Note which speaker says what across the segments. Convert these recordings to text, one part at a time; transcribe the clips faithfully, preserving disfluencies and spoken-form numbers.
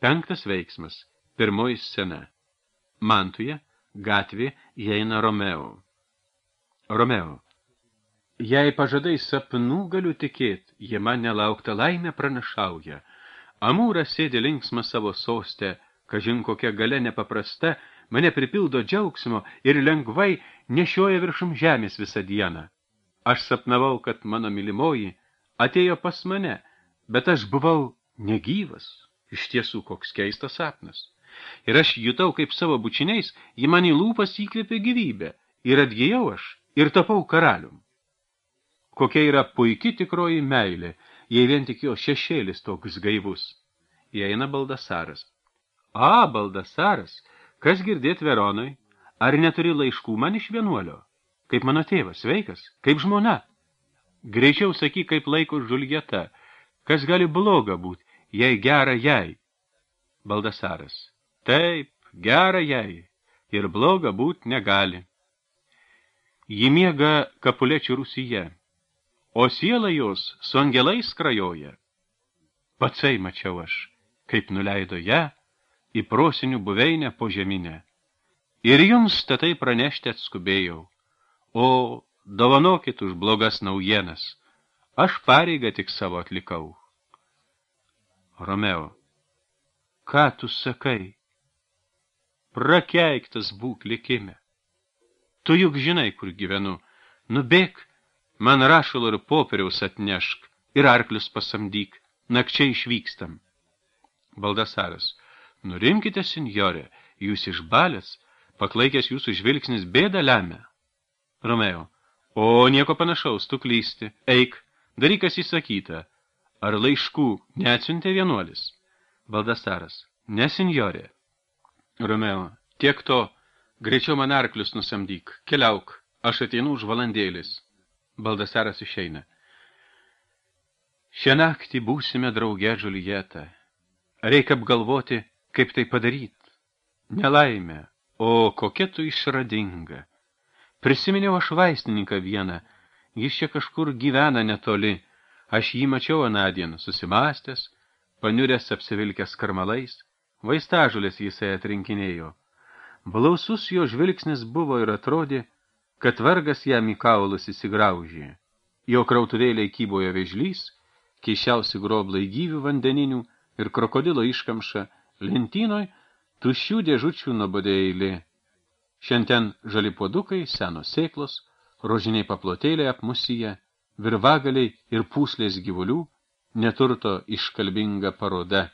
Speaker 1: Penktas veiksmas. Pirmoji scena. Mantuje, gatvė, įeina Romeo. Romeo. Jei pažadai sapnų galiu tikėt, jie man nelauktą laimę pranašauja. Amūras sėdi linksma savo sostę, kažin kokia galia nepaprasta, mane pripildo džiaugsmo ir lengvai nešioja viršum žemės visą dieną. Aš sapnavau, kad mano mylimoji atėjo pas mane, bet aš buvau negyvas. Iš tiesų, koks keistas sapnas. Ir aš jutau, kaip savo bučiniais, ji man į lūpas įkvėpė gyvybę. Ir atgijau aš, ir tapau karalium. Kokia yra puiki tikroji meilė, jei vien tik jo šešėlis toks gaivus. Įeina Baldasaras. A, Baldasaras, kas girdėt Veronoj? Ar neturi laiškų man iš vienuolio? Kaip mano tėvas, sveikas, kaip žmona. Greičiau sakyk, kaip laiko Žuljeta. Kas gali bloga būt, jei gera jai? Baldasaras. Taip, gera jai, ir bloga būt negali. Ji miega Kapulečių Rūsyje, o siela jos su angelais skrajoja. Patsai mačiau aš, kaip nuleido ją į prosinių buveinę po žeminę. Ir jums tatai pranešti atskubėjau. O, dovanokit už blogas naujienas, aš pareigą tik savo atlikau. Romeo. Ką tu sakai? Prakeiktas būk likime. Tu juk žinai, kur gyvenu. Nubėk, man rašalo ir popieriaus atnešk, ir arklius pasamdyk, nakčiai išvykstam. Baldasaras. Nurimkite, senjorė, jūs išbalės, paklaikęs jūsų žvilgsnis bėdą lemia. Romeo. O, nieko panašaus, tu klysti. Eik, daryk, kas įsakyta. Ar laiškų neatsiuntė vienuolis? Baldasaras. Ne, senjorė. Romeo. Tiek to, greičiau man arklius nusamdyk. Keliauk, aš ateinu už valandėlis. Baldasaras išeina. Šią naktį būsime drauge, Žuljeta. Reikia apgalvoti, kaip tai padaryt. Nelaimė, o kokia tu išradinga. Prisiminiau aš vaistininką vieną, jis čia kažkur gyvena netoli. Aš jį mačiau anadien, susimastęs, paniuręs apsivilkęs karmalais, vaistažolės jisai atrinkinėjo. Blausus jo žvilgsnis buvo ir atrodė, kad vargas jam į kaulus įsigraužė. Jo krautuvėliai kybojo vėžlys, keišiausi groblai gyvių vandeninių ir krokodilo iškamša, lentynoj tuščių dėžučių nuobodė eilė. Šiandien žali puodukai, senos sėklos, rožiniai paplotėliai apmusyje, virvagaliai ir pūslės gyvulių, neturto iškalbinga paroda.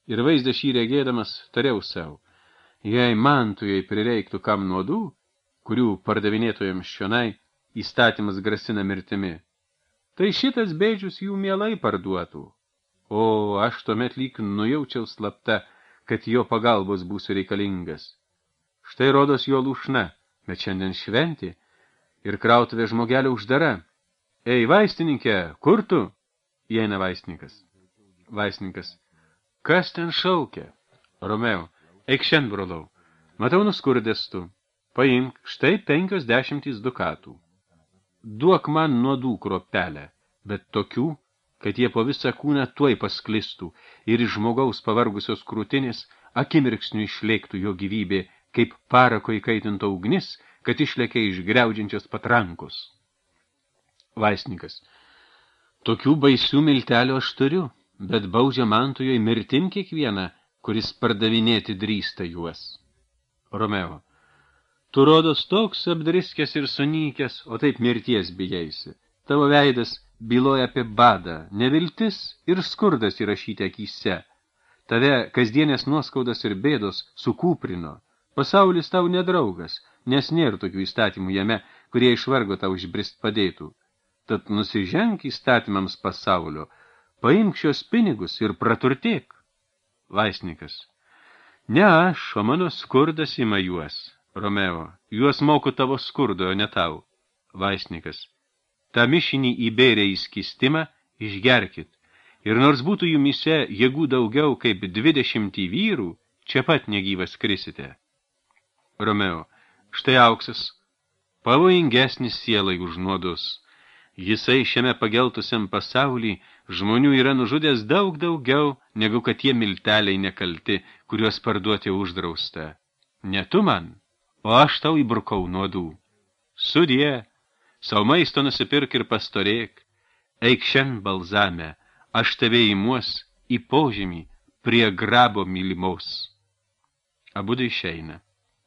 Speaker 1: Ir vaizdą šį regėdamas tariau savo, jei mantujai prireiktų kam nuodų, kurių pardavinėtojams šionai įstatymas grasina mirtimi, tai šitas bėdžius jų mielai parduotų. O aš tuomet lyg nujaučiau slapta, kad jo pagalbos būsiu reikalingas. Štai rodos jo lūšna, bet šiandien šventė ir krautuvė žmogelio uždara. Ei, vaistininkė, kur tu? Įeina vaistininkas. Vaistininkas. Kas ten šaukia? Romeo. Eik šiandien, brolau. Matau nuskurdęs tu. Paimk štai penkios dešimtys dukatų. Duok man nuodų kropelę, bet tokių, kad jie po visą kūną tuoj pasklistų ir iš žmogaus pavargusios krūtinės akimirksniu išlėktų jo gyvybė, kaip parako įkaitinto ugnis, kad išlėkė iš griaudžiančios patrankos. Vaisnikas. Tokių baisių miltelių aš turiu, bet baudžia mantujoj mirtim kiekvieną, kuris pardavinėti drįsta juos. Romeo. Tu rodos toks apdriskęs ir sunykęs, o taip mirties bijaisi. Tavo veidas byloja apie badą, neviltis ir skurdas įrašyti akyse. Tave kasdienės nuoskaudas ir bėdos sukūprino. Pasaulis tau nedraugas, nes nėra tokių įstatymų jame, kurie iš vargo tau išbrist padėtų. Tad nusiženk įstatymams pasaulio, paimk šios pinigus ir praturtėk. Vaisnikas. Ne aš, o mano skurdas ima juos. Romeo. Juos moku tavo skurdo, o ne tau. Vaisnikas. Ta mišinį įbėrė į skistimą, išgerkit. Ir nors būtų jumise jėgų daugiau kaip dvidešimtį vyrų, čia pat negyvas krisite. Romeo. Štai auksas, pavojingesnis sielai už nuodus. Jisai šiame pageltusiam pasauly žmonių yra nužudęs daug daugiau, negu kad tie milteliai nekalti, kuriuos parduoti uždrausta. Ne tu man, o aš tau įbrukau nuodų. Sudie, savo maisto nusipirk ir pastorėk, eik šiandien balzame, aš tave įmuos į požemį prie grabo mylimos. Abudu išeina.